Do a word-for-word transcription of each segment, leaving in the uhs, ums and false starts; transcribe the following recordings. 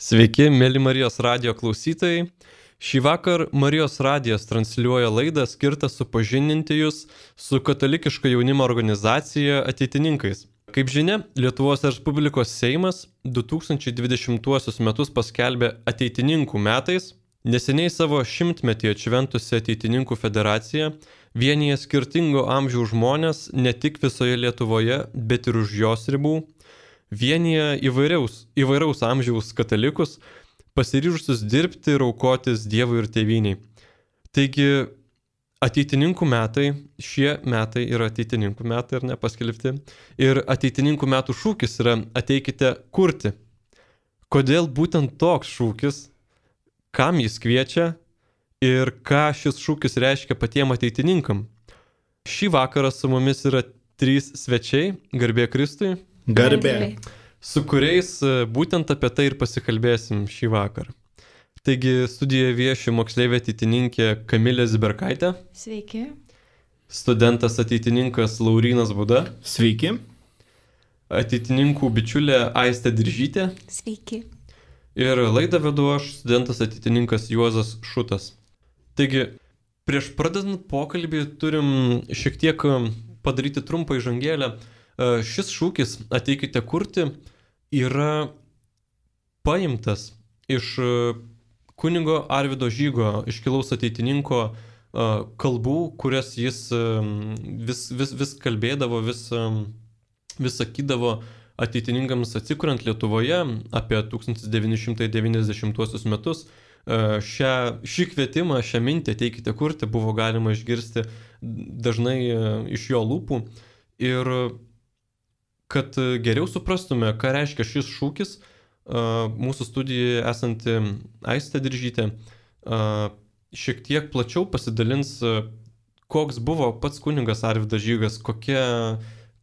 Sveiki, mėly Marijos radijo klausytojai. Šį vakar Marijos radijas transliuoja laidą skirtą supažindinti jūs su katalikiška jaunimo organizacija Ateitininkais. Kaip žinia, Lietuvos Respublikos Seimas du tūkstančiai dvidešimtuosius metus paskelbė Ateitininkų metais. Neseniai savo šimtmetį atšventusi Ateitininkų federacija vienyje skirtingo amžiaus žmonės ne tik visoje Lietuvoje, bet ir už jos ribų. Vienyje įvairiaus, įvairaus amžiaus katalikus, pasiryžusius dirbti ir aukotis Dievui ir tėvyniai. Taigi, Ateitininkų metai, šie metai yra Ateitininkų metai, ar ne, paskelbti. Ir Ateitininkų metų šūkis yra Ateikite kurti. Kodėl būtent toks šūkis, kam jis kviečia ir ką šis šūkis reiškia patiem ateitininkam? Šį vakarą su mumis yra trys svečiai, garbė Kristui. Garbė. Su kuriais būtent apie tai ir pasikalbėsim šį vakarą. Taigi studijoje vieši moksleivė ateitininkė Kamilė Ziberkaitė. Sveiki. Studentas ateitininkas Laurynas Buda. Sveiki. Ateitininkų bičiulė Aistė Diržytė. Sveiki. Ir laidą vedu aš, studentas ateitininkas Juozas Šutas. Taigi, prieš pradedant pokalbį turim šiek tiek padaryti trumpą įžangėlę. Šis šūkis Ateikite kurti yra paimtas iš kunigo Arvydo Žygo, iškilaus ateitininko kalbų, kurias jis vis, vis, vis kalbėdavo, vis, vis sakydavo ateitininkams atsikuriant Lietuvoje apie tūkstantis devyni šimtai devyniasdešimtuosius metus. Šią, šį kvietimą, šią mintį Ateikite kurti buvo galima išgirsti dažnai iš jo lūpų. Ir kad geriau suprastume, ką reiškia šis šūkis, mūsų studijoje esanti Aistė Diržytė šiek tiek plačiau pasidalins, koks buvo pats kunigas Arvydas Žygas, kokia,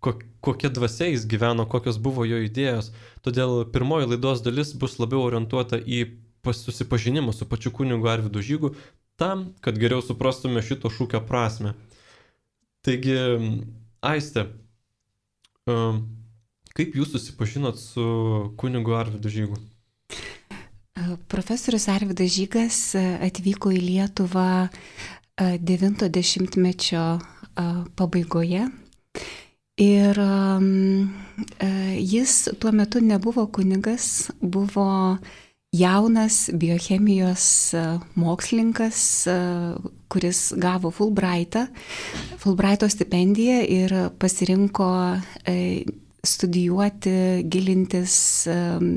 kokia dvasia jis gyveno, kokios buvo jo idėjos. Todėl pirmoji laidos dalis bus labiau orientuota į susipažinimą su pačiu kunigu Arvydu Žygu, tam, kad geriau suprastume šito šūkio prasme. Taigi, Aistė, kaip jūs susipažinot su kunigu Arvydu Žygu? Profesorius Arvydas Žygas atvyko į Lietuvą devinto dešimtmečio pabaigoje ir jis tuo metu nebuvo kunigas, buvo jaunas biochemijos mokslininkas, kuris gavo Fulbraitą, Fulbraito stipendiją ir pasirinko studijuoti, gilintis um,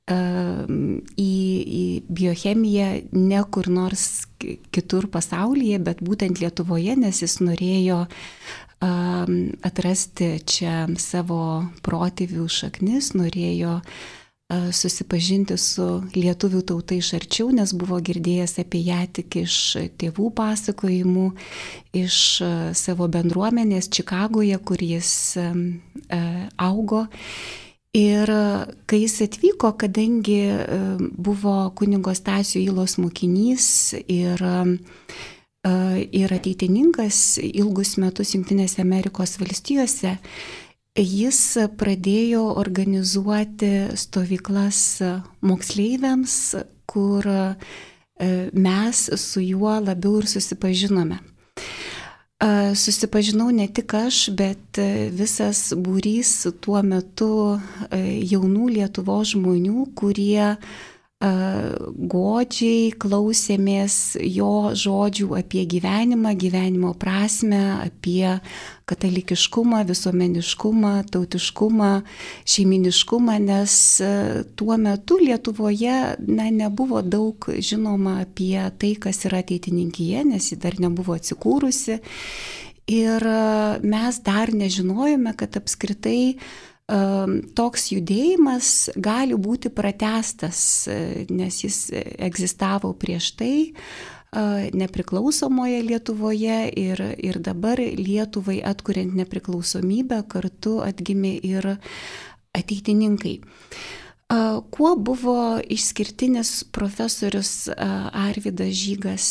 um, į, į biochemiją ne kur nors kitur pasaulyje, bet būtent Lietuvoje, nes jis norėjo um, atrasti čia savo protėvių šaknis, norėjo uh, susipažinti su lietuvių tauta iš arčiau, nes buvo girdėjęs apie ją tik iš tėvų pasakojimų, iš uh, savo bendruomenės Čikagoje, kur jis um, augo. Ir kai jis atvyko, kadangi buvo kunigo Stasio Ylos mokinys ir, ir ateitininkas ilgus metus Jungtinėse Amerikos valstijose, jis pradėjo organizuoti stovyklas moksleiviams, kur mes su juo labiau ir susipažinome. Susipažinau ne tik aš, bet visas būrys tuo metu jaunų Lietuvos žmonių, kurie godžiai klausėmės jo žodžių apie gyvenimą, gyvenimo prasmę, apie katalikiškumą, visuomeniškumą, tautiškumą, šeiminiškumą, nes tuo metu Lietuvoje na, nebuvo daug žinoma apie tai, kas yra ateitininkija, nes ji dar nebuvo atsikūrusi. Ir mes dar nežinojome, kad apskritai toks judėjimas gali būti pratęstas, nes jis egzistavo prieš tai nepriklausomoje Lietuvoje ir, ir dabar Lietuvai atkuriant nepriklausomybę kartu atgimė ir ateitininkai. Kuo buvo išskirtinis profesorius Arvydas Žygas?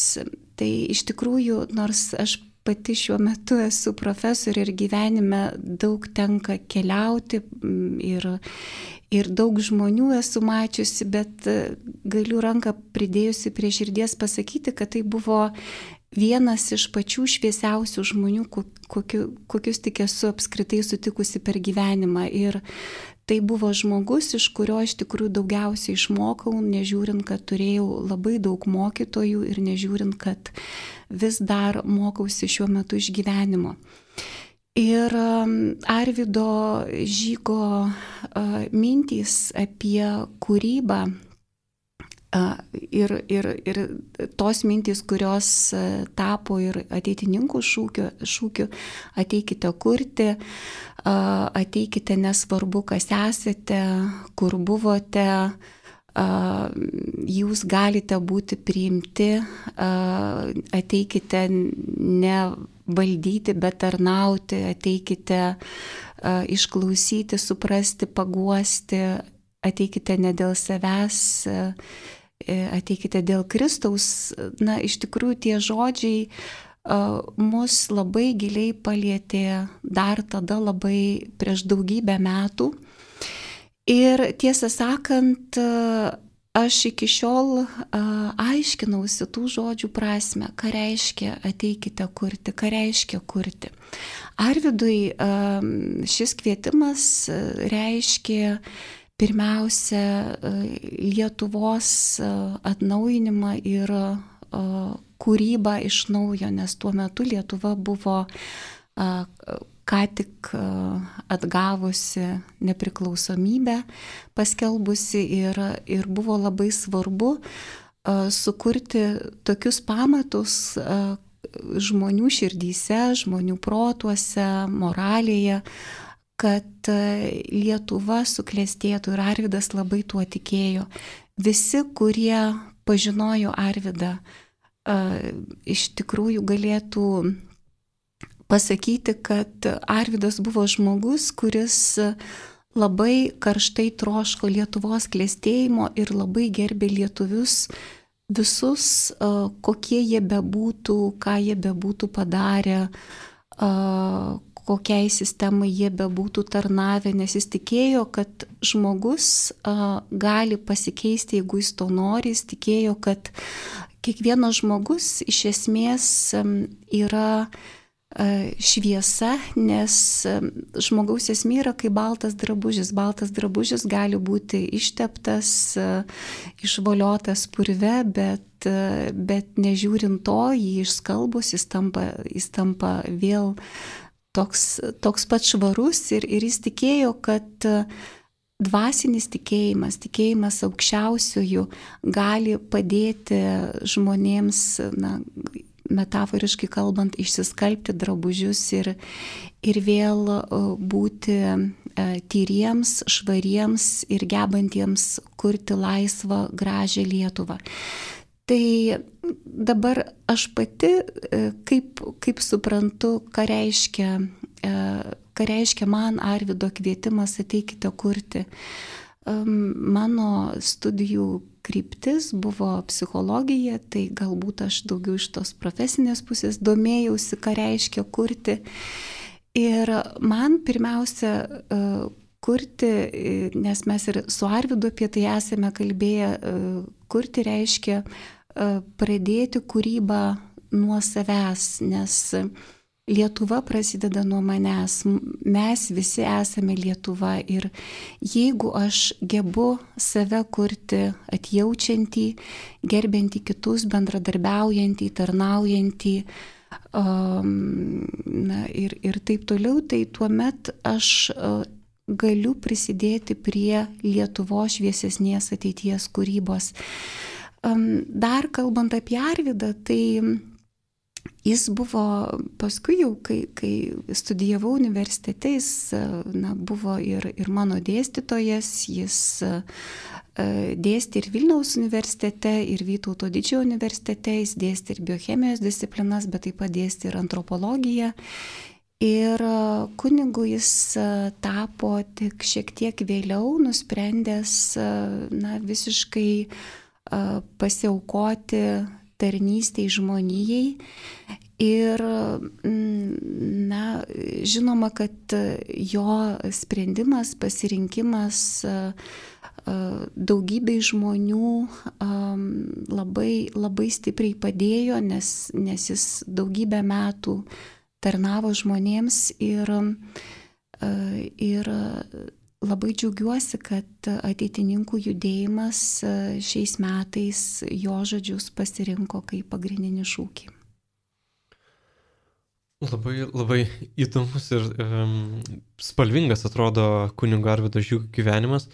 Tai iš tikrųjų, nors aš pati šiuo metu esu profesorė ir gyvenime daug tenka keliauti ir, ir daug žmonių esu mačiusi, bet galiu ranką pridėjusi prie širdies pasakyti, kad tai buvo vienas iš pačių šviesiausių žmonių, kokiu, kokius tik esu apskritai sutikusi per gyvenimą. Ir tai buvo žmogus, iš kurio iš tikrųjų daugiausiai išmokau, nežiūrint, kad turėjau labai daug mokytojų ir nežiūrint, kad vis dar mokausi šiuo metu iš gyvenimo. Ir Arvydo Žygo mintys apie kūrybą ir, ir, ir tos mintys, kurios tapo ir ateitininkų šūkiu, šūkiu ateikite kurti, ateikite nesvarbu, kas esate, kur buvote, jūs galite būti priimti, ateikite ne valdyti, bet tarnauti, ateikite išklausyti, suprasti, paguosti, ateikite ne dėl savęs, ateikite dėl Kristaus. Na, iš tikrųjų tie žodžiai uh, mus labai giliai palietė dar tada labai prieš daugybę metų. Ir tiesą sakant, uh, aš iki šiol uh, aiškinausi tų žodžių prasme, ką reiškia ateikite kurti, ką reiškia kurti. Arvydui uh, šis kvietimas uh, reiškia pirmiausia, Lietuvos atnaujinimą ir kūrybą iš naujo, nes tuo metu Lietuva buvo ką tik atgavusi nepriklausomybę, paskelbusi ir, ir buvo labai svarbu sukurti tokius pamatus žmonių širdyse, žmonių protuose, moralėje, kad Lietuva suklestėtų ir Arvydas labai tuo tikėjo. Visi, kurie pažinojo Arvydą, iš tikrųjų galėtų pasakyti, kad Arvydas buvo žmogus, kuris labai karštai troško Lietuvos klestėjimo ir labai gerbė lietuvius visus, kokie jie bebūtų, ką jie bebūtų padarę, kokiai sistemai jie bebūtų tarnavę, nes jis tikėjo, kad žmogus a, gali pasikeisti, jeigu jis to nori, jis tikėjo, kad kiekvienas žmogus iš esmės yra a, šviesa, nes a, žmogaus esmė yra kaip baltas drabužis. Baltas drabužis gali būti išteptas, a, išvoliotas purve, bet, a, bet nežiūrint to, jį išskalbus, jis tampa, jis tampa vėl Toks, toks pat švarus ir, ir jis tikėjo, kad dvasinis tikėjimas, tikėjimas aukščiausiųjų gali padėti žmonėms, na, metaforiškai kalbant, išsiskalbti drabužius ir, ir vėl būti tyriems, švariems ir gebantiems kurti laisvą, gražią Lietuvą. Tai dabar aš pati, kaip, kaip suprantu, ką reiškia, ką reiškia man Arvydo kvietimas ateikite kurti. Mano studijų kryptis buvo psichologija, tai galbūt aš daugiau iš tos profesinės pusės domėjausi, ką reiškia kurti. Ir man pirmiausia kurti, nes mes ir su Arvydu apie tai esame kalbėję, kurti reiškia pradėti kūrybą nuo savęs, nes Lietuva prasideda nuo manęs, mes visi esame Lietuva ir jeigu aš gebu save kurti atjaučiantį, gerbiantį kitus, bendradarbiaujantį, tarnaujantį um, na, ir, ir taip toliau, tai tuomet aš uh, galiu prisidėti prie Lietuvos šviesesnės ateities kūrybos. Dar kalbant apie Arvydą, tai jis buvo paskui jau, kai, kai studijavau universitete, jis na, buvo ir, ir mano dėstytojas, jis dėstė ir Vilniaus universitete, ir Vytauto Didžiojo universitete, jis dėstė ir biochemijos disciplinas, bet taip pat dėstė ir antropologiją. Ir kunigu jis tapo tik šiek tiek vėliau, nusprendęs na, visiškai pasiaukoti tarnystei žmonijai. Ir, na, žinoma, kad jo sprendimas, pasirinkimas daugybei žmonių labai, labai stipriai padėjo, nes, nes jis daugybę metų tarnavo žmonėms ir, ir labai džiaugiuosi, kad ateitininkų judėjimas šiais metais jo žodžius pasirinko kaip pagrindinį šūkį. Labai, labai įdomus ir um, spalvingas atrodo kunigo Arvydo Žygo gyvenimas.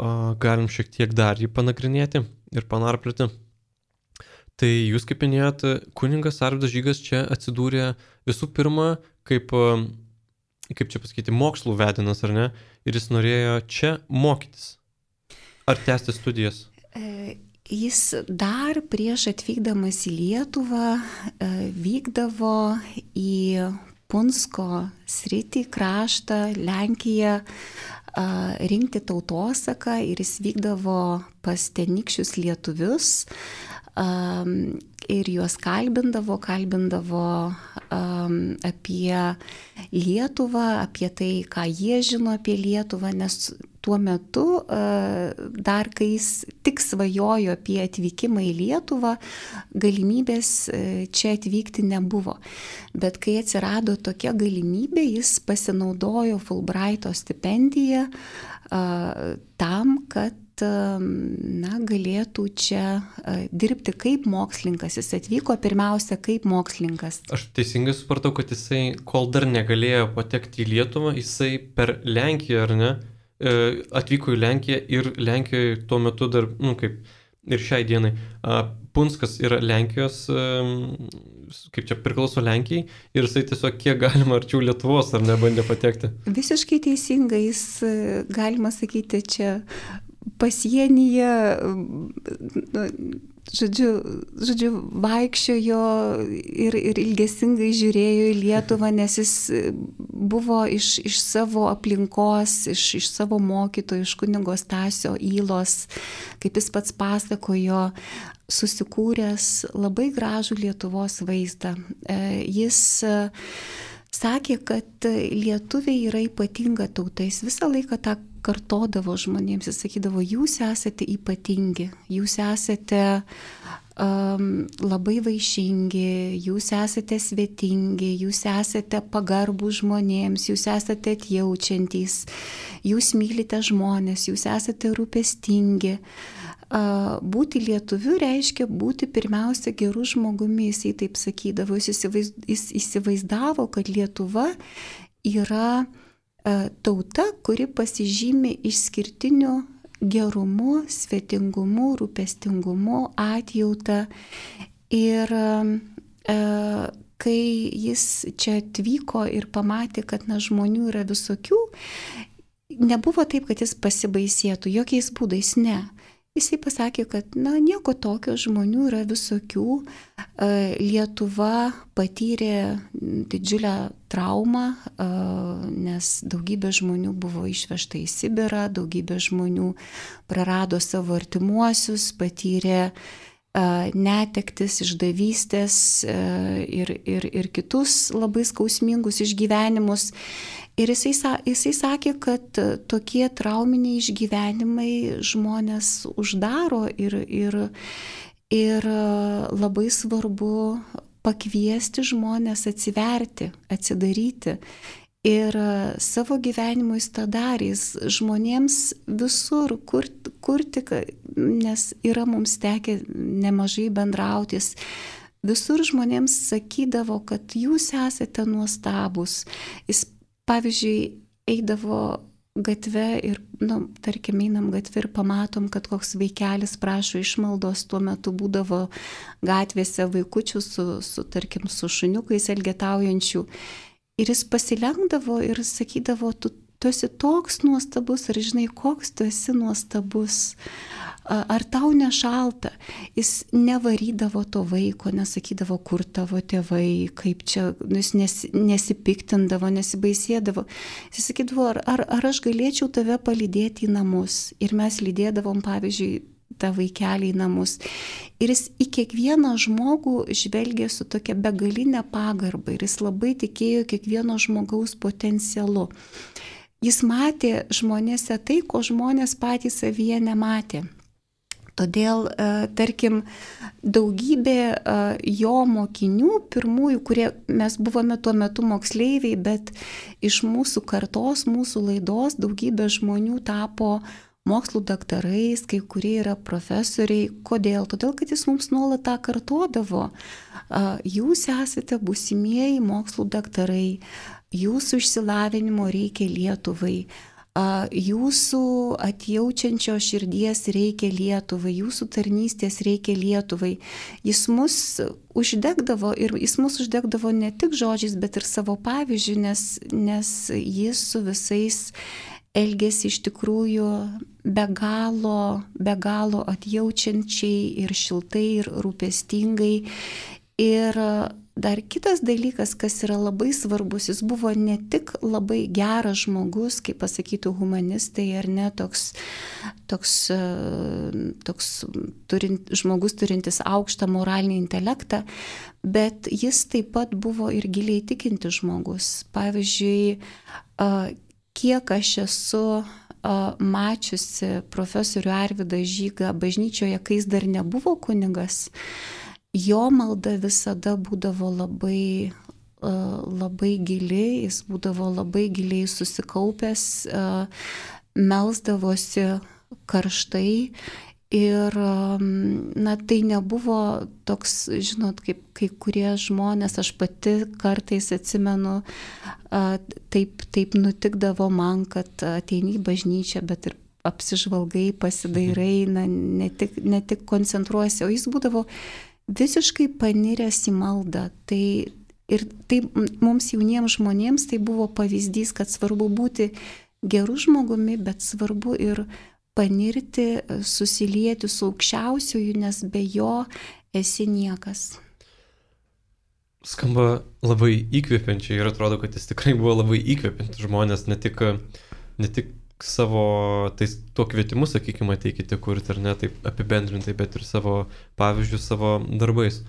O galim šiek tiek dar jį panagrinėti ir panarplioti. Tai jūs, kaip minėjot, kunigas Arvydas Žygas čia atsidūrė visų pirma kaip, kaip čia pasakyti, mokslų vedinas, ar ne? Ir jis norėjo čia mokytis. Ar tęsti studijas? E... Jis dar prieš atvykdamas į Lietuvą vykdavo į Punsko sritį, kraštą, Lenkiją, rinkti tautosaką ir jis vykdavo pas tenykščius lietuvius ir juos kalbindavo, kalbindavo apie Lietuvą, apie tai, ką jie žino apie Lietuvą, nes tuo metu, dar kai jis tik svajojo apie atvykimą į Lietuvą, galimybės čia atvykti nebuvo. Bet kai atsirado tokia galimybė, jis pasinaudojo Fulbraito stipendiją tam, kad na, galėtų čia dirbti kaip mokslininkas. Jis atvyko pirmiausia kaip mokslininkas. Aš teisingai supratau, kad jisai, kol dar negalėjo patekti į Lietuvą, jisai per Lenkiją, ar ne? Atvyko į Lenkiją ir Lenkijoje tuo metu dar, nu kaip ir šiai dienai, Punskas yra Lenkijos, kaip čia priklauso Lenkijai, ir jisai tiesiog kiek galima arčiau Lietuvos, ar ne, bandė patekti? Visiškai teisingai, jis, galima sakyti, čia pasienyje, žodžiu, žodžiu vaikščiojo ir, ir ilgesingai žiūrėjo į Lietuvą, nes jis buvo iš, iš savo aplinkos, iš, iš savo mokytojų, iš kunigo Stasio Ylos, kaip jis pats pasakojo, susikūręs labai gražų Lietuvos vaizdą. Jis sakė, kad lietuviai yra ypatinga tauta, jis visą laiką tą kartodavo žmonėms, jis sakydavo, jūs esate ypatingi, jūs esate um, labai vaišingi, jūs esate svetingi, jūs esate pagarbų žmonėms, jūs esate atjaučiantys, jūs mylite žmonės, jūs esate rūpestingi. Uh, būti lietuviu reiškia būti pirmiausia gerų žmogumi, jis taip sakydavo, jis, įsivaizd, jis įsivaizdavo, kad Lietuva yra tauta, kuri pasižymi išskirtiniu gerumu, svetingumu, rūpestingumu, atjauta. Ir e, kai jis čia atvyko ir pamatė, kad na, žmonių yra visokių, nebuvo taip, kad jis pasibaisėtų, jokiais būdais ne. Jisai pasakė, kad na, nieko tokio, žmonių yra visokių. Lietuva patyrė didžiulę traumą, nes daugybė žmonių buvo išvežta į Sibirą, daugybė žmonių prarado savo artimuosius, patyrė netektis, išdavystės ir, ir, ir kitus labai skausmingus išgyvenimus. Ir jisai, jisai sakė, kad tokie trauminiai išgyvenimai žmonės uždaro ir, ir, ir labai svarbu pakviesti žmonės atsiverti, atsidaryti. Ir savo gyvenimu jis tą darė, jis žmonėms visur kurti, kurti, nes yra mums tekę nemažai bendrautis. Visur žmonėms sakydavo, kad jūs esate nuostabus. Jis, pavyzdžiui, eidavo gatve ir, nu, tarkim, einam gatve ir pamatom, kad koks vaikelis prašo išmaldos, tuo metu būdavo gatvėse vaikučių su, su tarkim, su šuniukais elgetaujančių. Ir jis pasilenkdavo ir sakydavo, tu, tu esi toks nuostabus, ar žinai, koks tu esi nuostabus, ar tau nešalta. Jis nevarydavo to vaiko, nesakydavo, kur tavo tėvai, kaip čia, jis nes, nesipiktindavo, nesibaisėdavo. Jis sakydavo, ar, ar, ar aš galėčiau tave palydėti į namus. Ir mes lydėdavom, pavyzdžiui, tą vaikelį į namus. Ir jis į kiekvieną žmogų žvelgė su tokia begalinė pagarba ir jis labai tikėjo kiekvieno žmogaus potencialu. Jis matė žmonėse tai, ko žmonės patys savyje nematė. Todėl, tarkim, daugybė jo mokinių, pirmųjų, kurie mes buvome tuo metu moksleiviai, bet iš mūsų kartos, mūsų laidos daugybė žmonių tapo mokslų daktarais, kai kurie yra profesoriai. Kodėl? Todėl, kad jis mums nuolat tą kartodavo. Jūs esate būsimieji mokslų daktarai, jūsų išsilavinimo reikia Lietuvai. Jūsų atjaučiančio širdies reikia Lietuvai, jūsų tarnystės reikia Lietuvai. Jis mus uždegdavo ir jis mus uždegdavo ne tik žodžiais, bet ir savo pavyzdžiu, nes, nes jis su visais elgėsi iš tikrųjų be galo, be galo atjaučiančiai ir šiltai ir rūpestingai. Ir dar kitas dalykas, kas yra labai svarbus, jis buvo ne tik labai geras žmogus, kaip pasakytų humanistai, ar ne, toks, toks, toks turint, žmogus turintis aukštą moralinį intelektą, bet jis taip pat buvo ir giliai tikintis žmogus. Pavyzdžiui, kiek aš esu mačiusi profesorių Arvydą Žygą bažnyčioje, kai jis dar nebuvo kunigas, jo malda visada būdavo labai, labai gili, jis būdavo labai giliai susikaupęs, melsdavosi karštai ir, na, tai nebuvo toks, žinot, kaip kai kurie žmonės, aš pati kartais atsimenu, taip, taip nutikdavo man, kad ateini į bažnyčią, bet ir apsižvalgai, pasidairai, na, ne tik, ne tik koncentruosi, o jis būdavo visiškai paniręs į maldą. Tai, ir tai mums jauniems žmonėms tai buvo pavyzdys, kad svarbu būti geru žmogumi, bet svarbu ir panirti, susilieti su aukščiausiuoju, nes be jo esi niekas. Skamba labai įkvepiančiai ir atrodo, kad jis tikrai buvo labai įkvepiantis žmonės, ne tik, ne tik savo, tai tuo kvietimu, sakykime, ateikite kurti, ar ne, taip apibendrintai, bet ir savo pavyzdžius, savo darbais.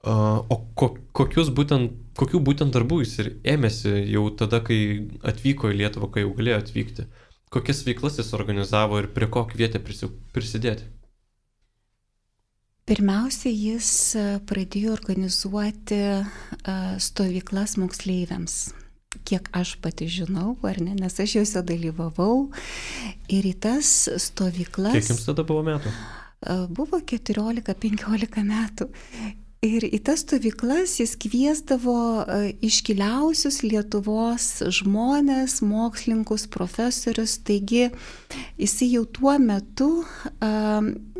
O ko, kokius būtent, kokių būtent darbų jis ir ėmėsi jau tada, kai atvyko į Lietuvą, kai jau galėjo atvykti? Kokias veiklas jis organizavo ir prie ko kvietė prisidėti? Pirmiausia, jis pradėjo organizuoti stovyklas moksleiviams. Kiek aš pati žinau, ar ne, nes aš juose dalyvavau ir į tas stovyklas... Kiek jums tada buvo metų? Buvo keturiolika penkiolika metų. Ir į tas stovyklas jis kviesdavo iškiliausius Lietuvos žmonės, mokslininkus, profesorius. Taigi jisai jau tuo metu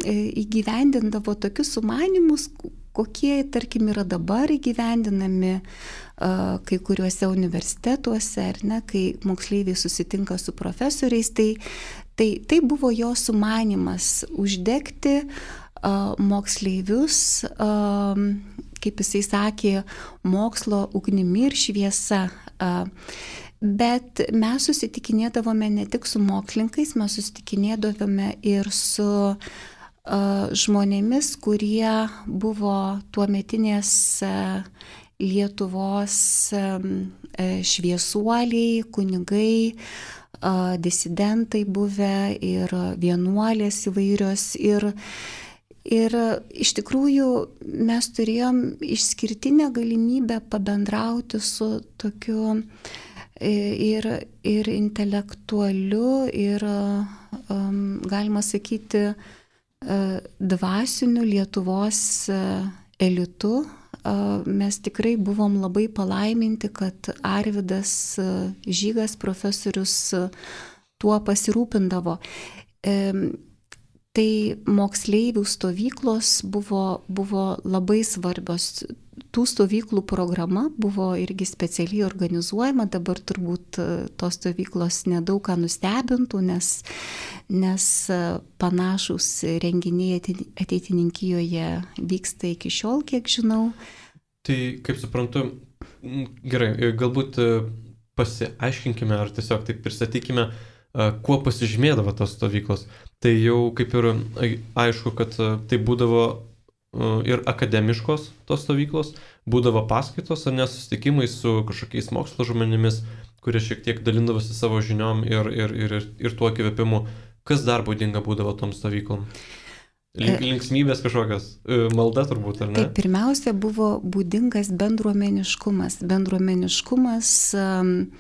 įgyvendindavo tokius sumanymus, kokie, tarkim, yra dabar įgyvendinami kai kuriuose universitetuose, ar ne, kai moksleiviai susitinka su profesoriais, tai, tai, tai buvo jo sumanymas uždegti uh, moksleivius, uh, kaip jisai sakė, mokslo ugnimi ir šviesa. Uh, bet mes susitikinėdavome ne tik su mokslininkais, mes susitikinėdavome ir su uh, žmonėmis, kurie buvo tuometinės uh, Lietuvos šviesuoliai, kunigai, disidentai buvę ir vienuolės įvairios. Ir, ir iš tikrųjų mes turėjom išskirtinę galimybę pabendrauti su tokiu ir, ir intelektualiu, ir galima sakyti dvasiniu Lietuvos elitu. Mes tikrai buvom labai palaiminti, kad Arvydas Žygas profesorius tuo pasirūpindavo. Tai moksleivių stovyklos buvo, buvo labai svarbios. Tų stovyklų programa buvo irgi specialiai organizuojama, dabar turbūt tos stovyklos nedaug ką nustebintų, nes, nes panašus renginiai ateitininkijoje vyksta iki šiol, kiek žinau. Tai, kaip suprantu, gerai, galbūt pasiaiškinkime ar tiesiog taip pristatykime, kuo pasižymėdavo tos stovyklos. tai jau kaip ir aišku, kad tai būdavo ir akademiškos tos stovyklos, būdavo paskaitos ar nesusitikimai su kažkokiais mokslo žmonėmis, kurie šiek tiek dalindavosi savo žiniom ir, ir, ir, ir tuo įkvėpimu. Kas dar būdinga būdavo tom stovyklom? Link, linksmybės kažkokios, malda turbūt, ar ne? Tai pirmiausia buvo būdingas bendruomeniškumas. Bendruomeniškumas um,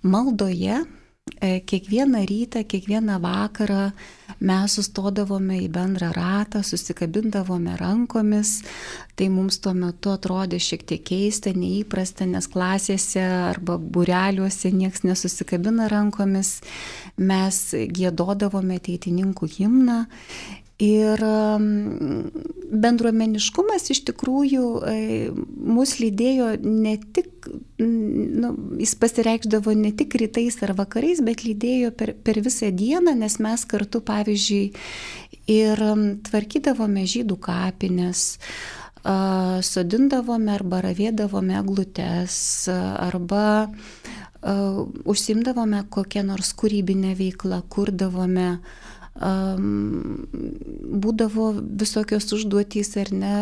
maldoje. Kiekvieną rytą, kiekvieną vakarą mes sustodavome į bendrą ratą, susikabindavome rankomis. Tai mums tuo metu atrodė šiek tiek keista, neįprasta, nes klasėse arba būreliuose nieks nesusikabina rankomis. Mes giedodavome ateitininkų himną. Ir bendruomeniškumas iš tikrųjų mus lydėjo ne tik, nu, jis pasireikšdavo ne tik rytais ar vakarais, bet lydėjo per, per visą dieną, nes mes kartu, pavyzdžiui, ir tvarkydavome žydų kapines, sodindavome arba ravėdavome eglutes, arba užsiimdavome kokią nors kūrybinę veiklą, kurdavome. Um, būdavo visokios užduotys ar ne,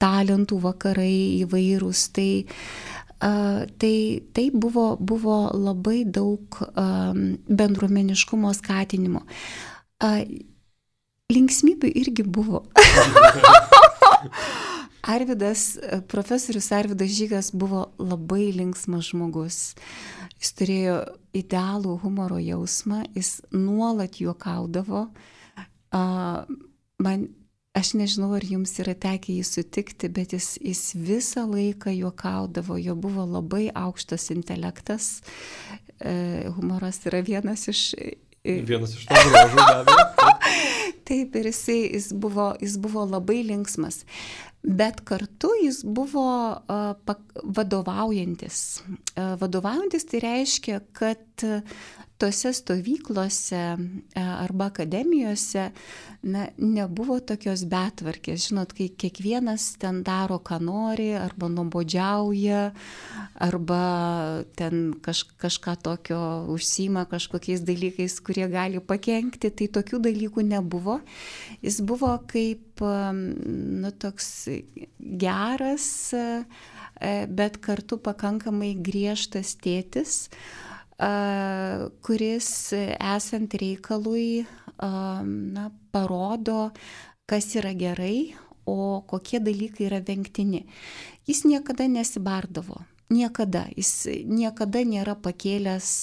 talentų vakarai įvairūs, tai, uh, tai, tai buvo, buvo labai daug um, bendruomeniškumo skatinimo. Uh, linksmybių irgi buvo. Arvydas, profesorius Arvydas Žygas buvo labai linksmas žmogus. Jis turėjo idealų humoro jausmą, jis nuolat juokaudavo. Man, aš nežinau, ar jums yra tekę jį sutikti, bet jis, jis visą laiką juokaudavo, jo buvo labai aukštas intelektas. Humoras yra vienas iš... Vienas iš to bruožų, be abejo. Taip, ir jis, jis, buvo, jis buvo labai linksmas. Bet kartu jis buvo uh, vadovaujantis. Uh, vadovaujantis tai reiškia, kad tose stovyklose uh, arba akademijose na, nebuvo tokios betvarkės. Žinot, kai kiekvienas ten daro, ką nori, arba nuobodžiauja, arba ten kaž, kažką tokio užsiima kažkokiais dalykais, kurie gali pakenkti, tai tokių dalykų nebuvo. Jis buvo kaip nu, toks geras, bet kartu pakankamai griežtas tėtis, kuris esant reikalui na, parodo, kas yra gerai, o kokie dalykai yra vengtini. Jis niekada nesibardavo, niekada. Jis niekada nėra pakėlęs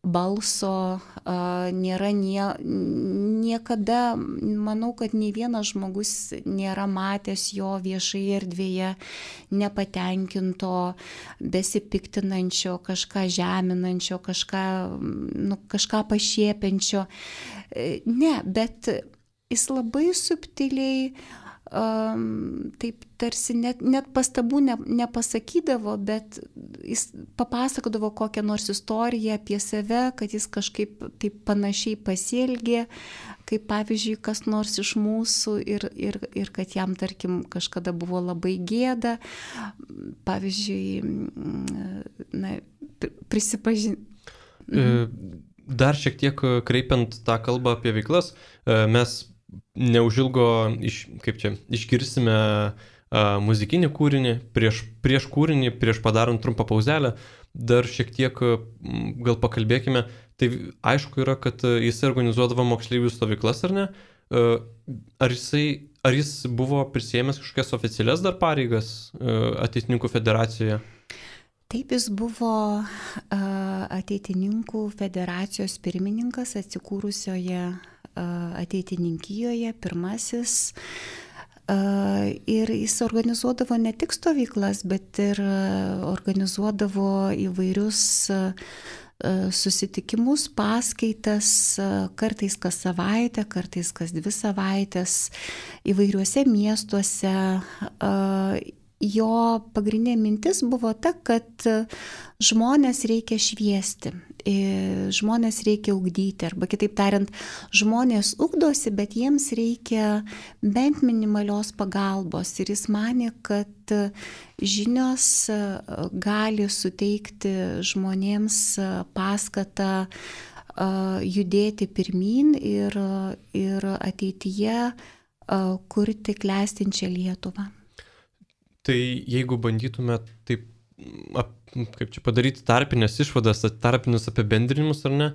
balso, nėra nie, niekada, manau, kad nei vienas žmogus nėra matęs jo viešai erdvėje nepatenkinto, besipiktinančio, kažką žeminančio, kažką, nu, kažką pašiepiančio. Ne, bet jis labai subtiliai, um, taip tarsi net, net pastabų ne, nepasakydavo, bet jis papasakodavo kokią nors istoriją apie save, kad jis kažkaip taip panašiai pasielgė, kaip pavyzdžiui kas nors iš mūsų ir, ir, ir kad jam, tarkim, kažkada buvo labai gėda. Pavyzdžiui, na, prisipažinti. Dar šiek tiek kreipiant tą kalbą apie veiklas, mes neužilgo iš, kaip čia, išgirsime muzikinį kūrinį, prieš, prieš kūrinį, prieš padarant trumpą pauzelę, dar šiek tiek gal pakalbėkime. Tai aišku yra, kad jis organizuodavo moksleivių stovyklas, ar ne? Ar, jisai, ar jis buvo prisėmęs kažkokias oficialias dar pareigas Ateitininkų federacijoje? Taip, jis buvo Ateitininkų federacijos pirmininkas atsikūrusioje Ateitininkijoje, pirmasis. Ir jis organizuodavo ne tik stovyklas, bet ir organizuodavo įvairius susitikimus, paskaitas, kartais kas savaitę, kartais kas dvi savaitės, įvairiuose miestuose. Jo pagrindinė mintis buvo ta, kad žmonės reikia šviesti, žmonės reikia ugdyti, arba kitaip tariant, žmonės ugdosi, bet jiems reikia bent minimalios pagalbos. Ir jis manė, kad žinios gali suteikti žmonėms paskatą judėti pirmin ir, ir ateityje kurti klestinčią Lietuvą. Tai jeigu bandytume taip, ap, kaip čia padaryti tarpinės išvadas, tarpinius apibendrinimus ar ne,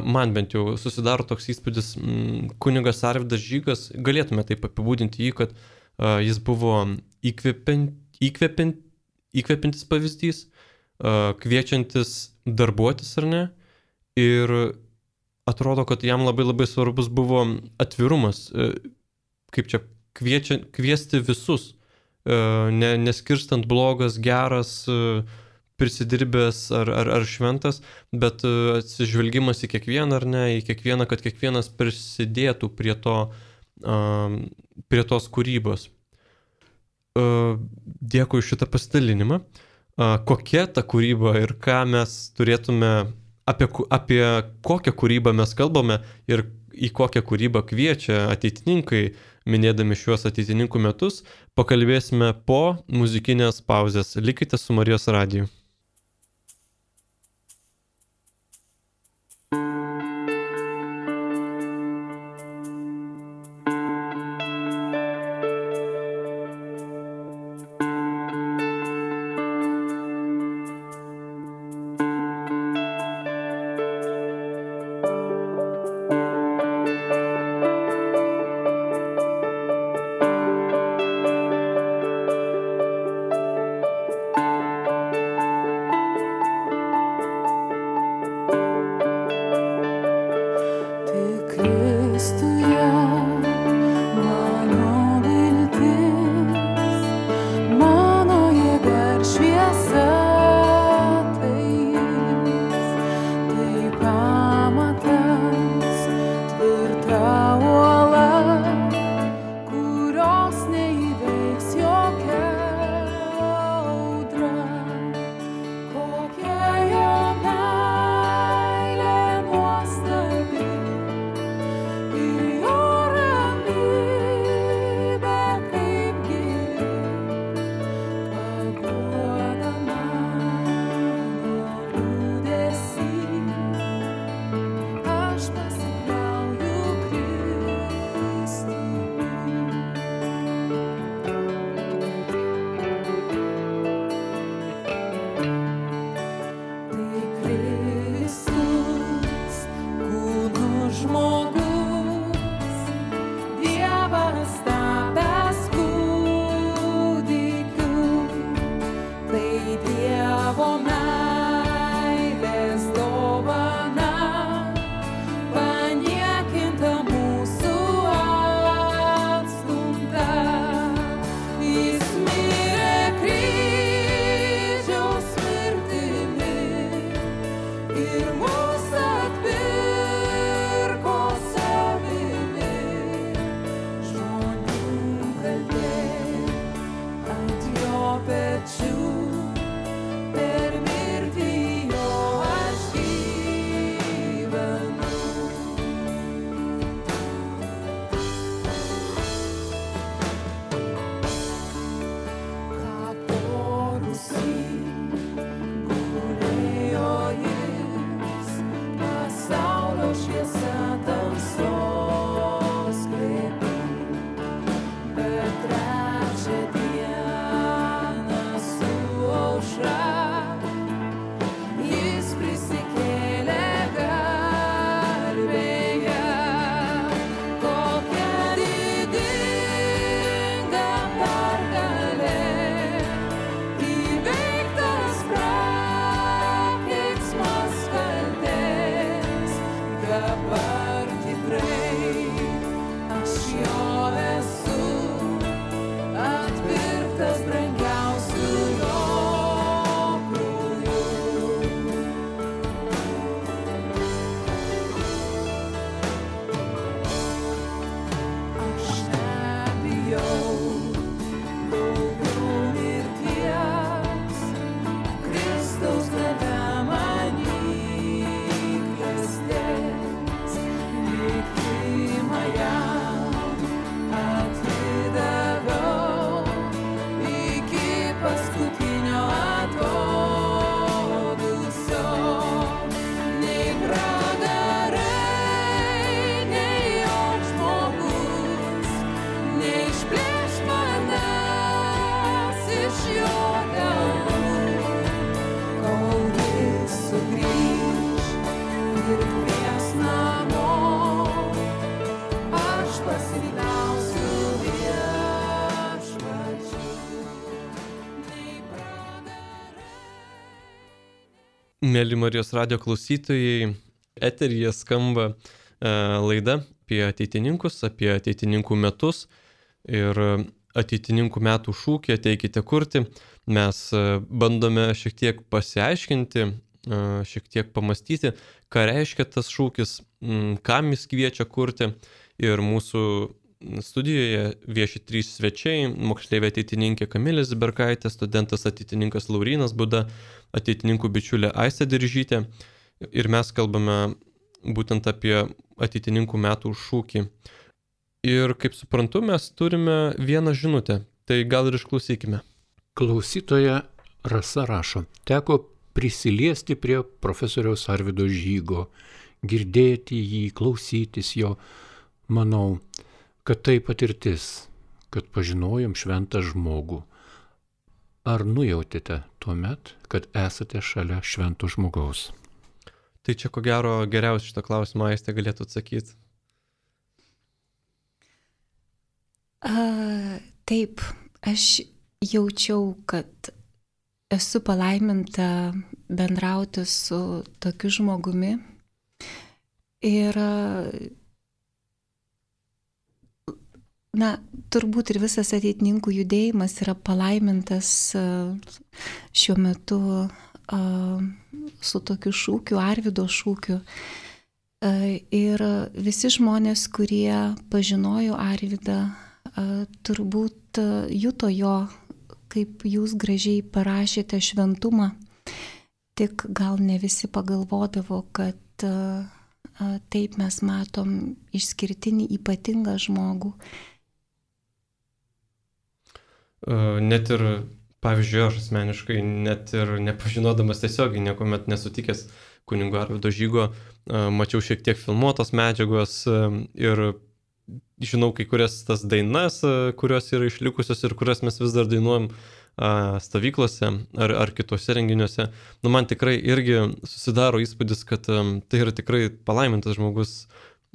man bent jau susidaro toks įspūdis, kunigas Arvydas Žygas, galėtume taip apibūdinti jį, kad jis buvo įkvepiant, įkvepiant, įkvepiantis pavyzdys, kviečiantis darbuotis ar ne, ir atrodo, kad jam labai labai svarbus buvo atvirumas, kaip čia kviečia, kviesti visus, ne, neskirstant blogas, geras, prisidirbęs ar, ar, ar šventas, bet atsižvelgimas į kiekvieną ar ne, į kiekvieną, kad kiekvienas prisidėtų prie, to, prie tos kūrybos. Dėkui šitą pasidalinimą. Kokia ta kūryba ir ką mes turėtume, apie, apie kokią kūrybą mes kalbame ir į kokią kūrybą kviečia ateitininkai, minėdami šiuos ateitininkų metus, pakalbėsime po muzikinės pauzės. Likite su Marijos radiju. Mėly Marijos radijo klausytojai, eteryje skamba e, laida apie ateitininkus, apie ateitininkų metus ir ateitininkų metų šūkį ateikite kurti. Mes e, bandome šiek tiek pasiaiškinti, e, šiek tiek pamastyti, ką reiškia tas šūkis, m, kam jis kviečia kurti. Ir mūsų studijoje vieši trys svečiai, moksleivė ateitininkė Kamilė Ziberkaitė, studentas ateitininkas Laurynas Buda, ateitininkų bičiulė Aistė Diržytė. Ir mes kalbame būtent apie ateitininkų metų šūkį. Ir kaip suprantu, mes turime vieną žinutę. Tai gal ir išklausykime. Klausytoja Rasa rašo. Teko prisiliesti prie profesoriaus Arvydo Žygo, girdėti jį, klausytis jo. Manau, kad tai patirtis, kad pažinojom šventą žmogų. Ar nujautėte tuomet, kad esate šalia švento žmogaus? Tai čia ko gero geriausiai šitą klausimą Aistė galėtų atsakyti. A, taip, aš jaučiau, kad esu palaiminta bendrauti su tokiu žmogumi. Ir na, turbūt ir visas ateitininkų judėjimas yra palaimintas šiuo metu su tokiu šūkiu, Arvydo šūkiu. Ir visi žmonės, kurie pažinojo Arvydą, turbūt juto jo, kaip jūs gražiai parašėte, šventumą. Tik gal ne visi pagalvodavo, kad taip mes matom išskirtinį, ypatingą žmogų. Net ir, pavyzdžiui, aš asmeniškai, net ir nepažinodamas tiesiogiai, niekuomet nesutikęs kunigo Arvydo Žygo, mačiau šiek tiek filmuotos medžiagos ir žinau kai kurias tas dainas, kurios yra išlikusios ir kurias mes vis dar dainuojam stovyklose ar, ar kitose renginiuose. Nu, man tikrai irgi susidaro įspūdis, kad tai yra tikrai palaimintas žmogus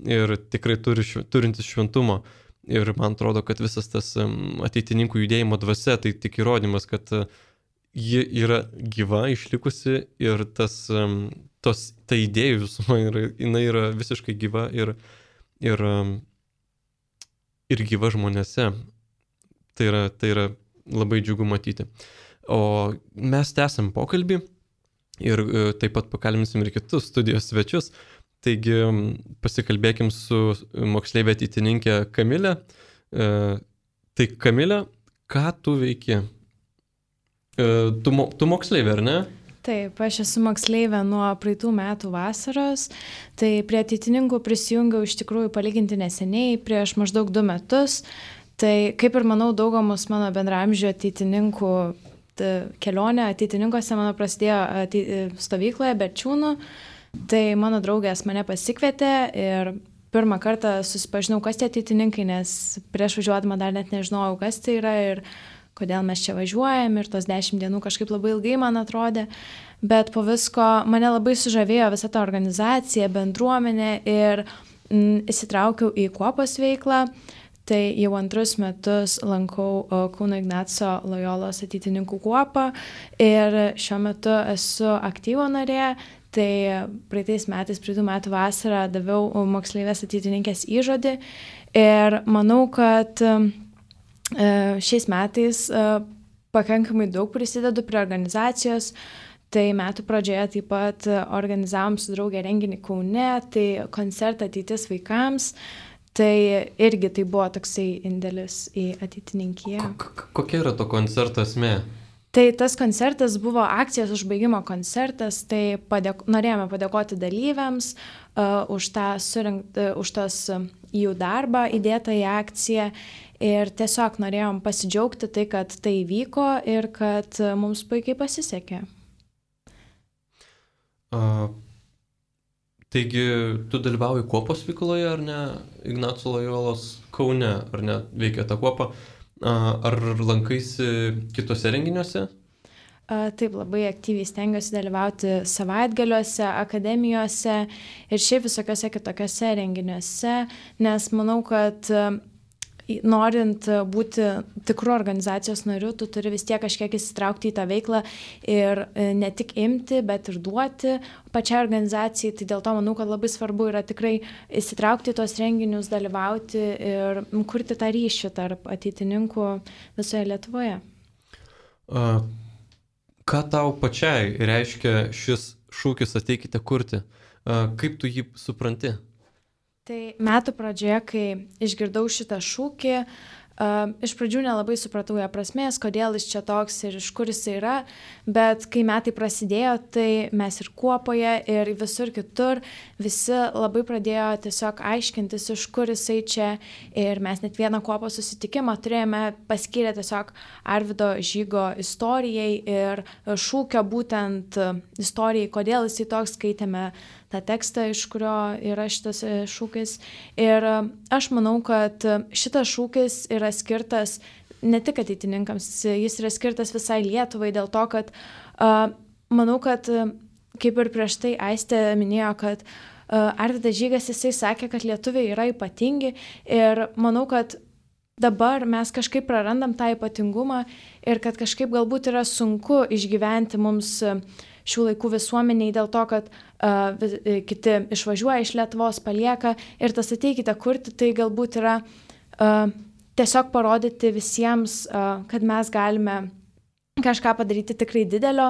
ir tikrai turi, turintis šventumo. Ir man atrodo, kad visas tas ateitininkų judėjimo dvasia, tai tik įrodymas, kad ji yra gyva, išlikusi ir tas, tos, ta idėjų visuma, yra, jinai yra visiškai gyva ir, ir, ir gyva žmonėse. Tai yra, tai yra labai džiugu matyti. O mes tęsiam pokalbį ir taip pat pakalbinsim ir kitus studijos svečius. Taigi pasikalbėkim su moksleivė ateitininkė Kamilė. E, tai Kamilė, ką tu veiki? E, tu, tu moksleivė, ar ne? Taip, aš esu moksleivė nuo praeitų metų vasaros. Tai prie ateitininkų prisijungiau iš tikrųjų palyginti neseniai, prieš maždaug du metus. Tai kaip ir manau, daugomus mano bendraamžių ateitininkų kelionė ateitininkose mano prasidėjo ateit, stovykloje Berčiūnų. Tai mano draugės mane pasikvietė ir pirmą kartą susipažinau, kas tie ateitininkai, nes prieš važiuodama dar net nežinojau, kas tai yra ir kodėl mes čia važiuojam ir tos dešimt dienų kažkaip labai ilgai man atrodė. Bet po visko mane labai sužavėjo visa ta organizacija, bendruomenė ir m, įsitraukiau į kuopos veiklą. Tai jau antrus metus lankau Kauno Ignaco Lojolos ateitininkų kuopą ir šiuo metu esu aktyvo narė. Tai praeitais metais, praeitų metų vasarą daviau moksleivės ateitininkės įžodį ir manau, kad šiais metais pakankamai daug prisidedu prie organizacijos. Tai metų pradžioje taip pat organizavom su draugė renginį Kaune, tai koncertą Ateitis vaikams. Tai irgi tai buvo toksai indėlis į ateitininkiją. Kokia yra to koncerto esmė? Tai tas koncertas buvo akcijos užbaigimo koncertas, tai padėk, norėjome padėkoti dalyviams uh, už, tą surinkt, uh, už tos uh, jų darbą įdėtą į akciją ir tiesiog norėjom pasidžiaugti tai, kad tai vyko ir kad uh, mums puikiai pasisekė. Uh, taigi, tu dalyvauji kuopos veikloje, ar ne? Ignaco Lojolos Kaune, ar ne? Veikia ta kuopa. Ar lankaisi kitose renginiuose? Taip, labai aktyviai stengiuosi dalyvauti savaitgaliuose, akademijose ir šiaip visokiose kitokiose renginiuose, nes manau, kad norint būti tikru organizacijos nariu, tu turi vis tiek kažkiek įsitraukti į tą veiklą ir ne tik imti, bet ir duoti pačiai organizacijai. Tai dėl to manau, kad labai svarbu yra tikrai įsitraukti į tos renginius, dalyvauti ir kurti tą ryšį tarp ateitininkų visoje Lietuvoje. A, ką tau pačiai reiškia šis šūkis ateikite kurti? A, kaip tu jį supranti? Tai metų pradžioje, kai išgirdau šitą šūkį, uh, iš pradžių nelabai supratau jo prasmės, kodėl jis čia toks ir iš kur jis yra, bet kai metai prasidėjo, tai mes ir Kuopoje, ir visur kitur visi labai pradėjo tiesiog aiškintis, iš kur jisai čia, ir mes net vieną Kuopos susitikimą turėjome paskyrę tiesiog Arvydo Žygo istorijai ir šūkio būtent istorijai, kodėl jisai toks, skaitėme tą tekstą, iš kurio yra šitas šūkis. Ir aš manau, kad šitas šūkis yra skirtas ne tik ateitininkams, jis yra skirtas visai Lietuvai dėl to, kad uh, manau, kad kaip ir prieš tai Aistė minėjo, kad uh, Arvydas Žygas, jisai sakė, kad lietuviai yra ypatingi ir manau, kad dabar mes kažkaip prarandam tą ypatingumą ir kad kažkaip galbūt yra sunku išgyventi mums šių laikų visuomeniai dėl to, kad uh, kiti išvažiuoja iš Lietuvos, palieka ir tas ateikite kurti, tai galbūt yra uh, tiesiog parodyti visiems, uh, kad mes galime kažką padaryti tikrai didelio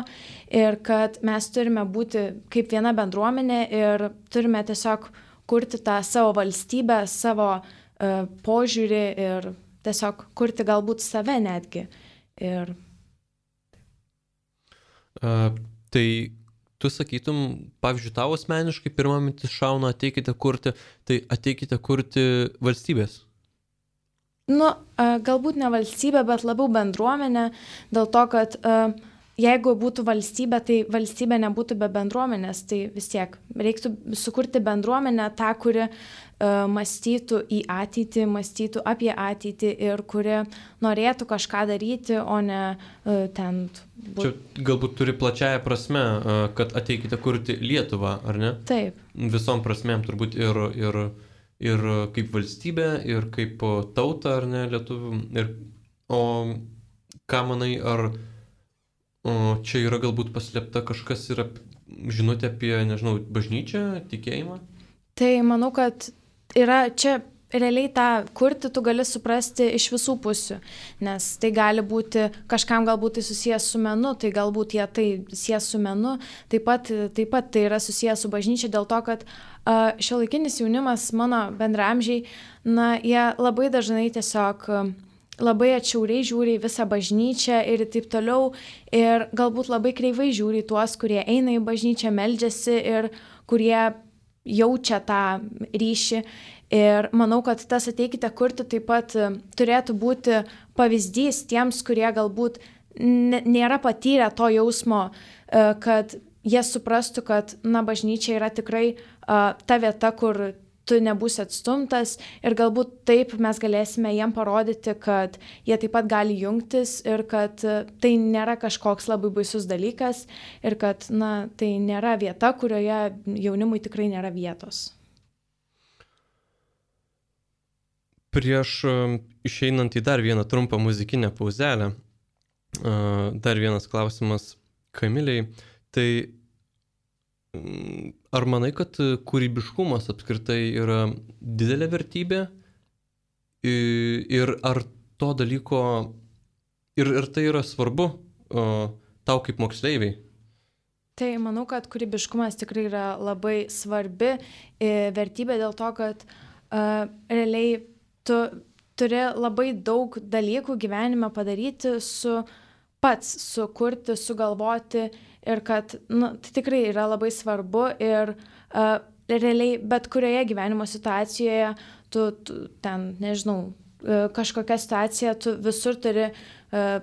ir kad mes turime būti kaip viena bendruomenė ir turime tiesiog kurti tą savo valstybę, savo uh, požiūrį ir tiesiog kurti galbūt save netgi. Ir... Uh. Tai tu sakytum, pavyzdžiui, tavo asmeniškai pirmą mintis šauna ateikite kurti, tai ateikite kurti valstybės? Nu, galbūt ne valstybė, bet labiau bendruomenė, dėl to, kad jeigu būtų valstybė, tai valstybė nebūtų be bendruomenės, tai vis tiek reiktų sukurti bendruomenę tą, kuri uh, mąstytų į ateitį, mąstytų apie ateitį ir kuri norėtų kažką daryti, o ne uh, ten... Būt... Čia galbūt turi plačiaja prasme, uh, kad ateikite kurti Lietuvą, ar ne? Taip. Visom prasmėm turbūt ir, ir, ir kaip valstybė, ir kaip tauta, ar ne, lietuvių. Ir, o ką manai, ar... O čia yra galbūt paslėpta kažkas yra žinutė apie, nežinau, bažnyčią, tikėjimą? Tai manau, kad yra čia realiai tą kurti tu gali suprasti iš visų pusių, nes tai gali būti, kažkam galbūt tai susijęs su menu, tai galbūt jie tai susijęs su menu, taip pat, taip pat tai yra susijęs su bažnyčia dėl to, kad uh, šiuolaikinis jaunimas, mano bendraamžiai, na, jie labai dažnai tiesiog... Uh, labai atšiauriai žiūri į visą bažnyčią ir taip toliau ir galbūt labai kreivai žiūri į tuos, kurie eina į bažnyčią, meldžiasi ir kurie jaučia tą ryšį. Ir manau, kad tas ateikite kurti taip pat turėtų būti pavyzdys tiems, kurie galbūt nėra patyrę to jausmo, kad jie suprastų, kad na, bažnyčia yra tikrai ta vieta, kur tu nebūsi atstumtas ir galbūt taip mes galėsime jiem parodyti, kad jie taip pat gali jungtis ir kad tai nėra kažkoks labai baisus dalykas ir kad na, tai nėra vieta, kurioje jaunimui tikrai nėra vietos. Prieš išeinant į dar vieną trumpą muzikinę pauzelę, dar vienas klausimas Kamilei, tai ar manai, kad kūrybiškumas apskritai yra didelė vertybė ir ar to dalyko, ir, ir tai yra svarbu o, tau kaip moksleiviai? Tai manau, kad kūrybiškumas tikrai yra labai svarbi vertybė dėl to, kad uh, realiai tu turi labai daug dalykų gyvenime padaryti su pats, sukurti, sugalvoti ir kad nu, tai tikrai yra labai svarbu ir uh, realiai bet kurioje gyvenimo situacijoje tu, tu ten, nežinau, uh, kažkokia situacija, tu visur turi uh,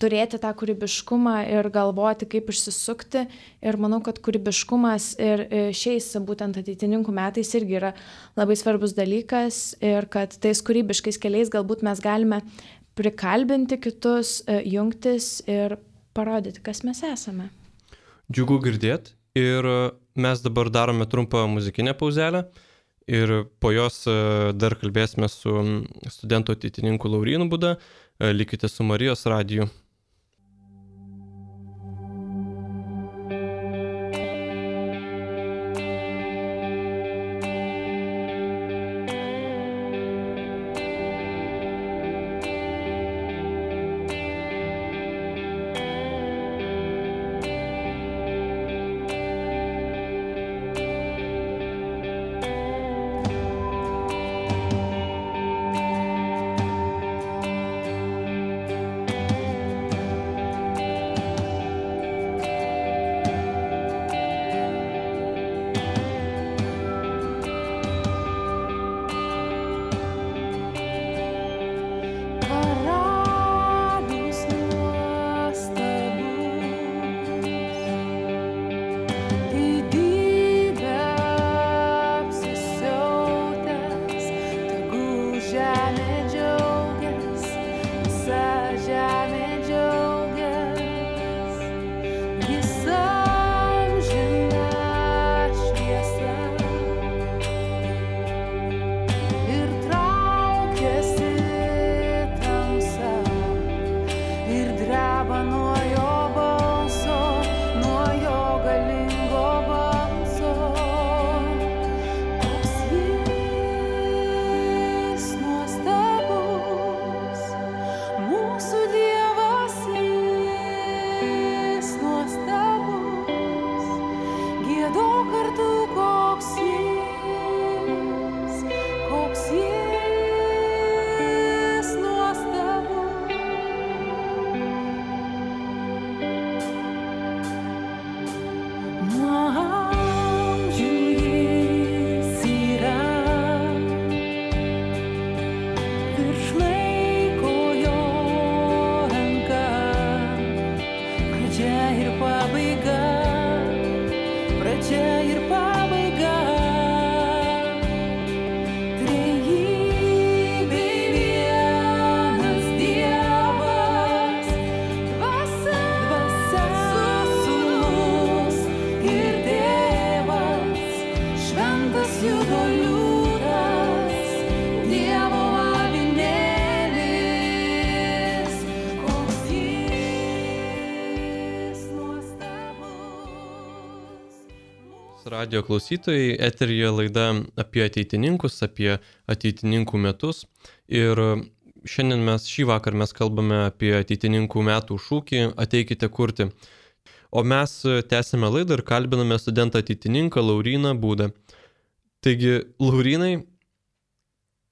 turėti tą kūrybiškumą ir galvoti, kaip išsisukti ir manau, kad kūrybiškumas ir šiais būtent ateitininkų metais irgi yra labai svarbus dalykas ir kad tais kūrybiškais keliais galbūt mes galime prikalbinti kitus, uh, jungtis ir parodyti, kas mes esame. Džiugu girdėt ir mes dabar darome trumpą muzikinę pauzelę ir po jos dar kalbėsime su studentų ateitininku Laurynu Būda. Likite su Marijos radiju. Radio klausytojai, eteryje laida apie ateitininkus, apie ateitininkų metus. Ir šiandien mes, šį vakar mes kalbame apie ateitininkų metų šūkį Ateikite kurti. O mes tęsime laidą ir kalbiname studentą ateitininką Lauryną Būdą. Taigi, Laurynai,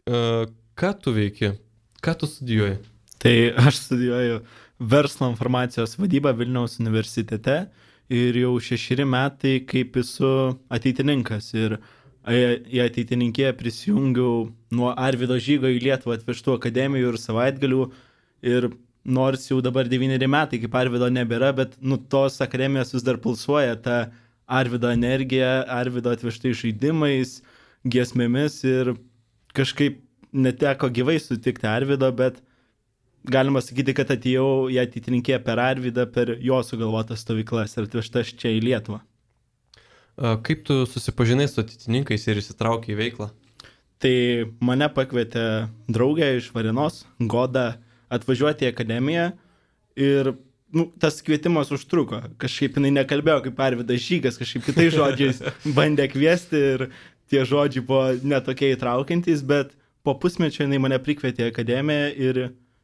ką tu veiki? Ką tu studijuoji? Tai aš studijuoju verslo informacijos vadybą Vilniaus universitete. Ir jau šešeri metai kaip esu ateitininkas ir į ateitininkiją prisijungiau nuo Arvydo Žygo į Lietuvą atvežtų akademijų ir savaitgalių ir nors jau dabar devyneri metai kaip Arvydo nebėra, bet nu tos akademijos vis dar pulsuoja ta Arvydo energija, Arvydo atvežtais žaidimais, giesmėmis ir kažkaip neteko gyvai sutikti Arvydo, bet galima sakyti, kad atėjau į ateitininkiją per Arvydą, per jo sugalvotas stovyklas ir atvežtas čia į Lietuvą. Kaip tu susipažinai su ateitininkais ir įsitraukei į veiklą? Tai mane pakvietė draugė iš Varėnos, Goda, atvažiuoti į akademiją ir nu, tas kvietimas užtruko. Kažkaip jinai nekalbėjo kaip Arvydas Žygas, kažkaip kitais žodžiais bandė kviesti ir tie žodžiai buvo netokie įtraukiantys, bet po pusmečio jinai mane prikvietė į akademiją ir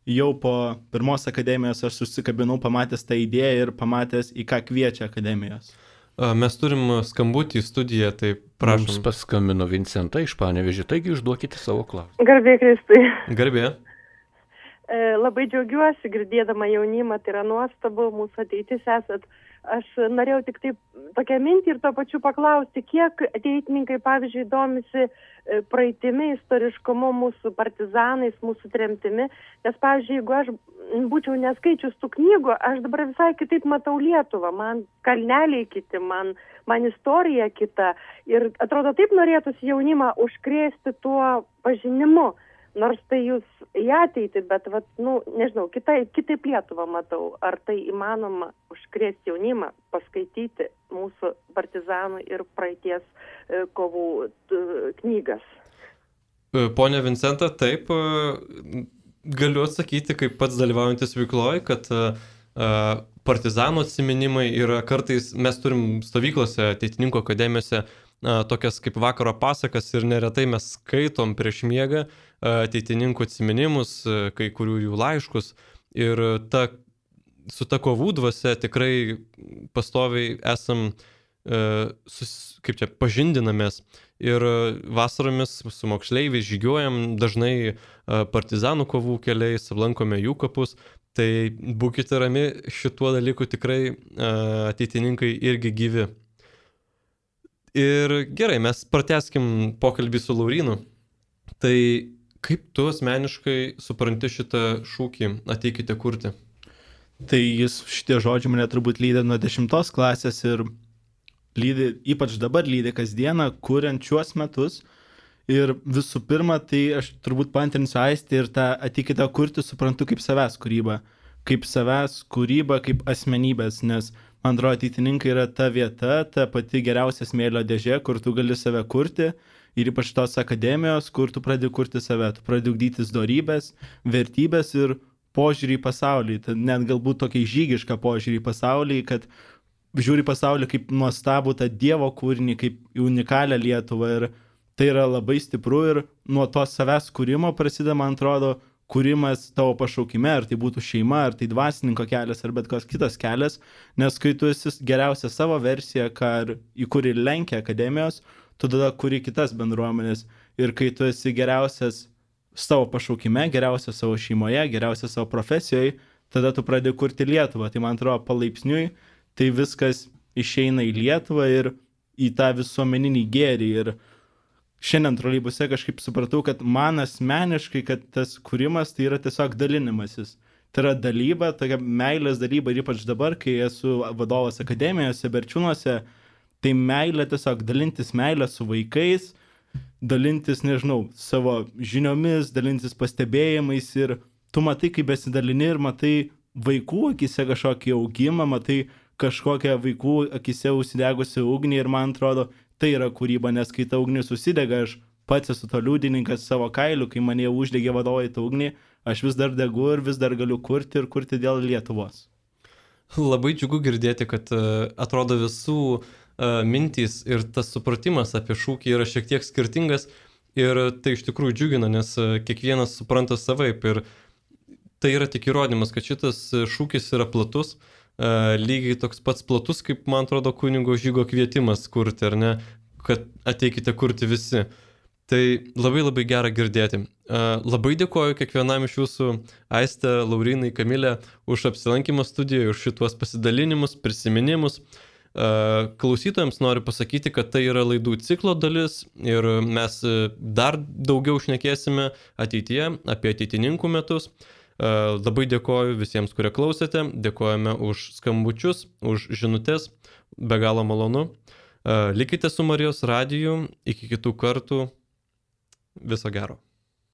jau po pirmos akademijos aš susikabinau pamatęs tą idėją ir pamatęs, į ką kviečia akademijos. Mes turim skambutį į studiją, tai prašom. Mums paskambino Vincenta iš Panevėžio, taigi užduokite savo klausimą. Garbė Kristui. Garbė. Labai džiaugiuosi girdėdama jaunimą, tai yra nuostabu, mūsų ateitis esat. Aš norėjau tik taip tokią mintį ir tuo pačiu paklausti, kiek ateitininkai, pavyzdžiui, domisi praeitimi, istoriškumu, mūsų partizanais, mūsų tremtimi. Nes, pavyzdžiui, jeigu aš būčiau neskaičius tų knygų, aš dabar visai kitaip matau Lietuvą. Man kalneliai kiti, man, man istorija kita. Ir atrodo, taip norėtųsi jaunimą užkrėsti tuo pažinimu. nors tai jūs į ateitį, bet, vat, nu, nežinau, kitai, kitaip Lietuvą matau. Ar tai įmanoma užkrėsti jaunimą, paskaityti mūsų partizanų ir praeities e, kovų t, knygas? Pone Vincenta, taip, galiu atsakyti, kaip pats dalyvaujantis veikloje, kad partizanų atsiminimai yra kartais, mes turim stovyklose, ateitininkų akademijose, tokias kaip vakaro pasakas ir neretai mes skaitom prieš miegą ateitininkų atsiminimus, kai kurių jų laiškus ir ta, su ta kovų dvasia tikrai pastoviai esam, sus, kaip čia, pažindinamės ir vasaromis su moksleiviais žygiuojam dažnai partizanų kovų keliais, lankome jų kapus. Tai būkite rami, šituo dalyku tikrai ateitininkai irgi gyvi. Ir gerai, mes pratęskim pokalbį su Laurynu. Tai kaip tu asmeniškai supranti šitą šūkį ateikite kurti? Tai jis, šitie žodžiai mane turbūt lydė nuo dešimtos klasės ir lydi, ypač dabar lydi kasdieną, kuriant šiuos metus. Ir visų pirma, tai aš turbūt paantrinsiu Aistį ir tą ateikite kurti suprantu kaip savęs kūrybą. Kaip savęs kūrybą, kaip asmenybės, nes man atrodo ateitininkai yra ta vieta, ta pati geriausia smėlio dėžė, kur tu gali save kurti. Ir ypač tos akademijos, kur tu pradedi kurti save, tu pradedi ugdytis dorybės, vertybės ir požiūrį į pasaulį. Tai net galbūt tokį žygišką požiūrį į pasaulį, kad žiūri pasaulį kaip nuostabų tą Dievo kūrinį, kaip unikalią Lietuvą ir tai yra labai stipru ir nuo to savęs kūrimo prasideda, man atrodo, kūrimas tavo pašaukime, ar tai būtų šeima, ar tai dvasininko kelias, ar bet koks kitas kelias, nes kai tu esi geriausia savo versija, ką, į kurį lenkia akademijos, tu tada kuri kitas bendruomenės ir kai tu esi geriausias savo pašaukime, geriausias savo šeimoje, geriausias savo profesijoje, tada tu pradedi kurti Lietuvą. Tai man atrodo palaipsniui tai viskas išeina į Lietuvą ir į tą visuomeninį gėrį. Ir šiandien troleibuse kažkaip supratau, kad man asmeniškai, kad tas kūrimas tai yra tiesiog dalinimasis. Tai yra dalyba, tokia meilės dalyba ir ypač dabar, kai esu vadovas akademijose, Berčiūnuose, tai meilė tiesiog dalintis meilę su vaikais, dalintis, nežinau, savo žiniomis, dalintis pastebėjimais ir tu matai, kaip besidalini ir matai vaikų akise kažkokį augimą, matai kažkokią vaikų akise užsidegusią ugnį ir man atrodo, tai yra kūryba, nes kai ta ugnis užsidega, aš pats esu to liudininkas savo kailiu, kai mane uždegė vadovai tą ugnį, aš vis dar degu ir vis dar galiu kurti ir kurti dėl Lietuvos. Labai džiugu girdėti, kad atrodo visų mintys ir tas supratimas apie šūkį yra šiek tiek skirtingas ir tai iš tikrųjų džiugina, nes kiekvienas supranta savaip ir tai yra tik įrodymas, kad šitas šūkis yra platus, lygiai toks pats platus, kaip man atrodo kunigo Žygo kvietimas kurti, ar ne, kad ateikite kurti visi. Tai labai labai gera girdėti. Labai dėkoju kiekvienam iš jūsų, Aiste, Laurynai, Kamilė, už apsilankymą studijoje, už šituos pasidalinimus, prisiminimus. Klausytojams noriu pasakyti, kad tai yra laidų ciklo dalis ir mes dar daugiau šnekėsime ateityje apie ateitininkų metus. Labai dėkoju visiems, kurie klausėte, dėkojame už skambučius, už žinutės, be galo malonu. Likite su Marijos radiju, iki kitų kartų, viso gero.